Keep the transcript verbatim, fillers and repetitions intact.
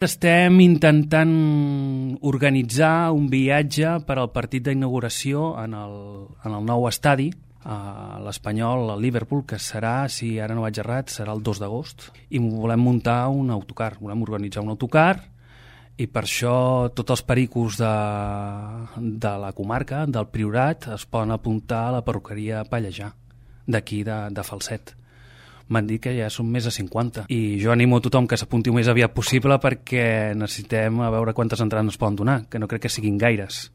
Estem intentant organitzar un viatge per al partit d'inauguració en el, en el nou estadi, a l'Espanyol, al Liverpool, que serà, si ara no vaig errat, serà el dos d'agost. I volem muntar un autocar, volem organitzar un autocar, i per això tots els pericos de, de la comarca, del Priorat, es poden apuntar a la perruqueria Pallejà, d'aquí de, de Falset. M'han dit que ja són més de cinquanta. I jo animo a tothom que s'apunti el més aviat possible perquè necessitem a veure quantes entrades ens poden donar, que no crec que siguin gaires.